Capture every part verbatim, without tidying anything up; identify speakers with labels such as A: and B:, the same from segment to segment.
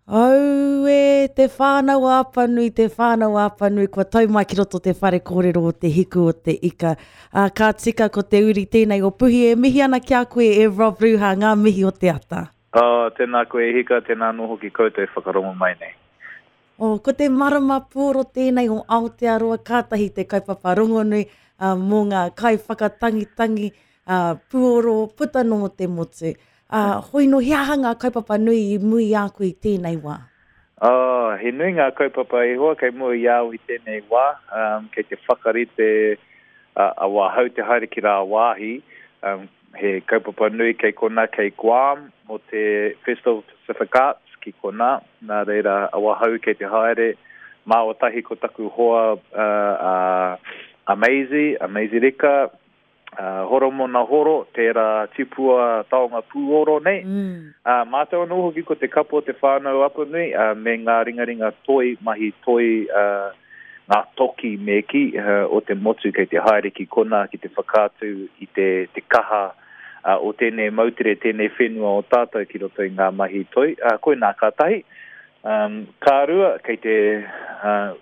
A: Aue, Te Whānau a Apanui, Te Whānau a Apanui, kua tau mai ki roto te whare kōrero o Te Hiku o te Ika. Uh, ka tika ko te uri tēnei o Puhi e mihi ana ki a koe e Rob Ruha, ngā mihi o te ata.
B: Oh, tēnā koe e hika, tēnā anō hoki koutou e whakarongo mai nei.
A: Oh, ko te marama puoro tēnei o Aotearoa, kātahi te kaupapa rongonui uh, mō ngā kai whakatangitangi uh, puoro puta nō te motu. Uh, hoi no, he aha ngā kaupapa nui i mui i a koe i tēnei wā?
B: Oh, he nui ngā kaupapa e hoa kei mua i au i tēnei wā. Um, kei te whakarite uh, a wahau te haere ki rā wāhi. Um, he kaupapa nui kei kona, kei Guam, mō te Festival of Pacific Arts ki kona. Nā reira, a wahau kei te haere. Māua tahi ko taku hoa uh, uh, a Maisie, a Maisie Rika, Uh, Horomona Horo, tērā tipua taonga pūoro nei.
A: Mm.
B: Uh, mātou anō hoki ko te kapo o Te Whānau Apanui, uh, me ngā ringaringa toi, mahi toi, uh, ngā toki me ki uh, o te motu kei te haere ki kona ki te whakaatu i te, te kaha uh, o tēnei moutere, tēnei whenua o tātou ki roto i ngā mahi toi. Uh, koinā ka tahi. Um, ka rua, kei te, uh,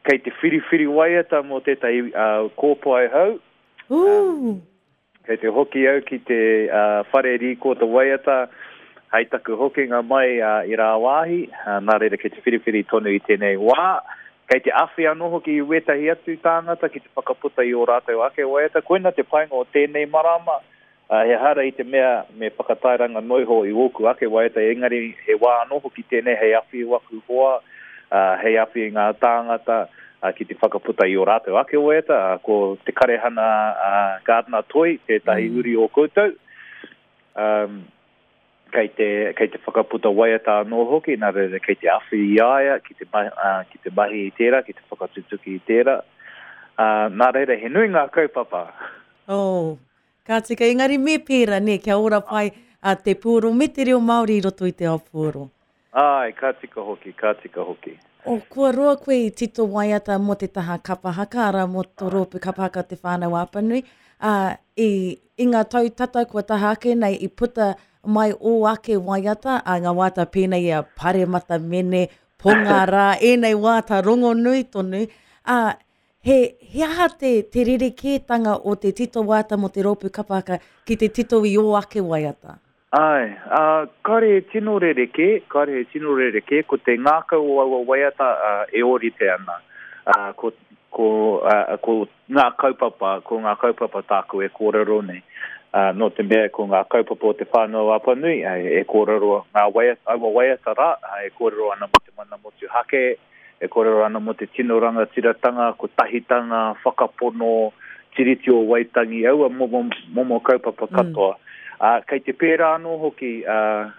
B: kei te whiriwhiri waiata mō tētahi uh, kōpae hau.
A: Um,
B: kei te hoki au ki te uh, whare rīko te waiata, hei taku hokinga mai uh, i rāwāhi, uh, nā reira kei te whiriwhiri tonu i tēnei wā. Kei te awhi anō hoki i wētahi atu tāngata ki te whakaputa i ō rātou ake waiata. Koina te painga o tēnei marama, uh, he hara i te mea me whakatairanga noiho i ōku ake waiata, engari he wā anō hoki tēnei hei awhi i waku hoa, uh, hei awhi i ngā tāngata, uh, ki te whakaputa i ō rātou ake waiata, uh, ko te Karehana uh, Gardner Toi, tētahi mm. uri o koutou. Um, kei te, kei te whakaputa waiata anō hoki, nā reira kei te awhi i a ia, ki te, uh, ki te mahi i tērā, ki te whakatutuki i tērā. Uh, nā reira, he nui ngā kaupapa.
A: Oh, ka tika, engari me pērā, ne, kia ora pai uh, te puoro me te reo Māori i roto i te ao puoro.
B: Ai, ka tika hoki, ka tika hoki.
A: O, kua roa koe i tito waiata mō te taha kapahaka, ara mō tō rōpū kapahaka Te Whānau Apanui. Uh, i, i ngā tau tata kua taha ake nei i puta mai o ake waiata, a ngā waiata pēnei a Paremata Mene, Ponga Rā, ēnei waiata rongonui tonu. Uh, he, he aha te, te rerekētanga o te tito waiata mō te rōpū kapahaka ki te tito i o ake waiata?
B: Ai, uh, kāre he tino rerekē, kāre he tino rerekē, ko te ngākau o aua waiata uh, e ōrite ana. Uh, ko, ko, uh, ko ngā kaupapa, ko ngā kaupapa tāku e kōrero nei. Uh, nō te mea ko ngā kaupapa o Te Whānau Apanui, uh, e kōrero ngā waiata, aua waiata rā, uh, e kōrero ana mō te mana motuhake, e kōrero ana mō te tino rangatiratanga, kotahitanga, whakapono, Tiriti o Waitangi, aua momo, momo kaupapa katoa.
A: Mm.
B: Uh, kei te pērā anō hoki uh,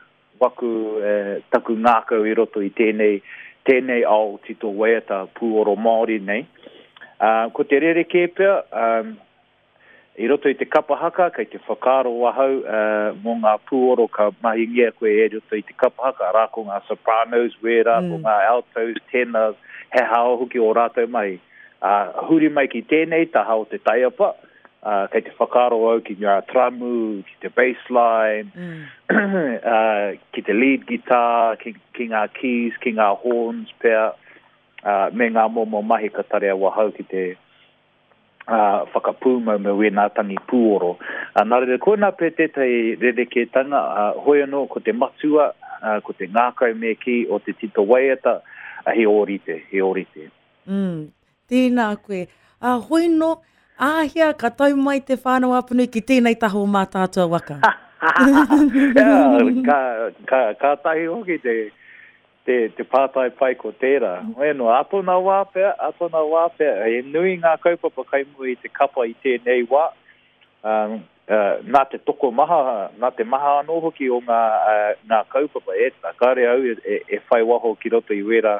B: waku eh, taku ngākau i roto i tēnei, tēnei ao tito waiata pūoro Māori nei. Uh, ko te rerekē pea, um, i roto i te kapahaka, kei te whakaaro ahau uh, mō ngā pūoro ka mahingia koe e roto i te kapahaka, rā ko ngā sopranos, wērā,
A: Mm.
B: ko ngā altos, tenors, he hao hoki o rātou mahi. Uh, huri mai ki tēnei taha o te taiapa, uh, kei te whakaaro au ki ngā tramu, ki te bassline,
A: Mm.
B: uh, ki te lead guitar, ki, ki ngā keys, ki ngā horns pea, uh, me ngā momo mahi ka tarea wahau ki te uh, whakapūmau me wēnā tangi pūoro. Uh, nā reira, koinā pē tētahi rerekētanga, uh, hoi anō ko te matua, uh, ko te ngākau me ki o te tito waiata, uh, he ōrite, he ōrite.
A: Mm, tēnā koe. Uh, hoi no, āhea ka tau mai Te Whānau Apanui ki tēnei taha o Mātaatua waka.
B: Yeah, ka, ka, ka tahi hoki te, te, te pātai pai ko tērā. Hoi anō, a tōna wā pea, a tōna wā pea, he nui ngā kaupapa kai mua i te kapa i tēnei wā. Um, uh, nā te tokomaha, nā te maha anō hoki o ngā, uh, ngā kaupapa, e, kāre au e, e, e whai waho ki roto i wērā,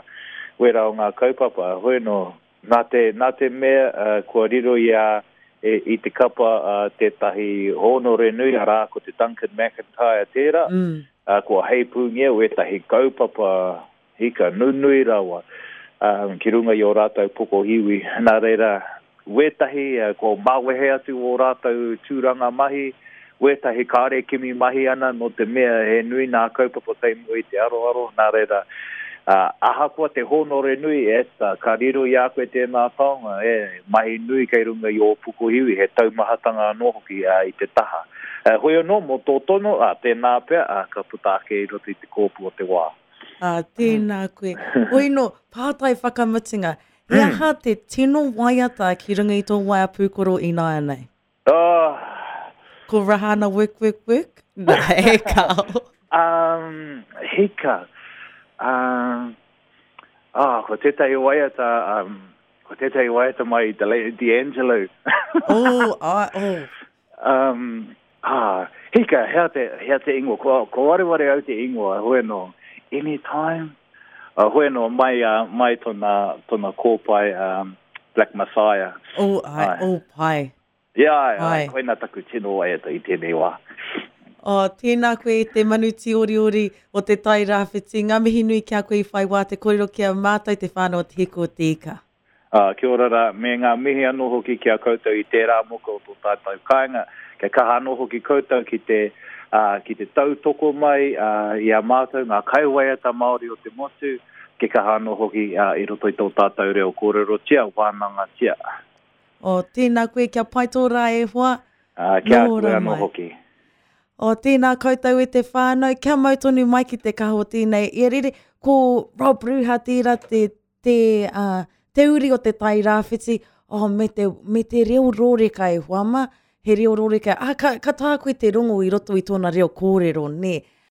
B: wērā o ngā kaupapa. Hoi anō, nā te, nā te mea uh, kua riro i a, e, i te kapa uh, tētahi hōnore nui, arā ko te Duncan McIntyre tērā,
A: Mm.
B: uh, kua heipūngia wētahi kaupapa hika nunui rawa um, ki runga i o rātou pokohiwi. Nā reira, wētahi uh, kua mawehe atu o rātou tūranga mahi, Wētahi kāre kimi mahi ana nō te mea he nui nā kaupapa kei mua i te aroaro, nā reira, uh, ahakoa te hōnore nui, e, ka riro i a koe tēnā taonga, e, mahi nui kei runga i ō pukuhiwi, he taumahatanga anō hoki uh, i te taha. Uh, hoi anō, mō tō tono, uh, tēnā pea, uh, ka puta ake i roto i te kōpu o te wā.
A: Uh, tēnā koe. Hoi no, pātai whakamutunga, he aha te tino waiata ki runga i tō waea pūkoro ināianei?
B: Oh.
A: Ko Rahana work, work, work? Nā, e kao.
B: Um, hika. Um, oh, ko tētahi waiata, um, ko tētahi waiata mai D'Angelo.
A: Oh, ai, oh.
B: Um, ah, hika, hea te, hea te ingoa, ko, ko wareware au te ingoa, hoi no, anytime. Uh, hoi no, mai, uh, mai tona, tona kōpae, um, Black Messiah.
A: Oh, ai, ai. Oh, pai.
B: Ia, ai, ai, koina taku tino waiata i tēnei wā.
A: Oh, tēnā koe e te manu tīoriori o te Tai Rāwhiti. Ngā mihi nui ki a koe i whai wā te kōrero ki a mātou te whānau o Te Hiku o Te Ika.
B: Uh, kia ora rā, me ngā mihi anō hoki ki a koutou i tērā moka o tō tātou kāinga. Kia kaha anō hoki koutou ki te, uh, ki te tautoko mai uh, i a mātou, ngā kaiwaiata Māori o te motu, kia kaha anō hoki uh, i roto i tō tātou reo kōrerotia, wānangatia.
A: O, tēnā koe, kia pai tō rā e hoa.
B: Uh, kia koe anō hoki.
A: O, tēnā koutou e te whānau, kia mau tonu mai ki te kaha o tēnei. Ia rere, ko Rob Ruha tērā te, te, uh, te uri o te Tai Rāwhiti, oh, me te, me te reo rōreka e hoa ma, he reo rōreka. Ah, ka, ka tā koe te rongo i roto i tōna reo kōrero, nē.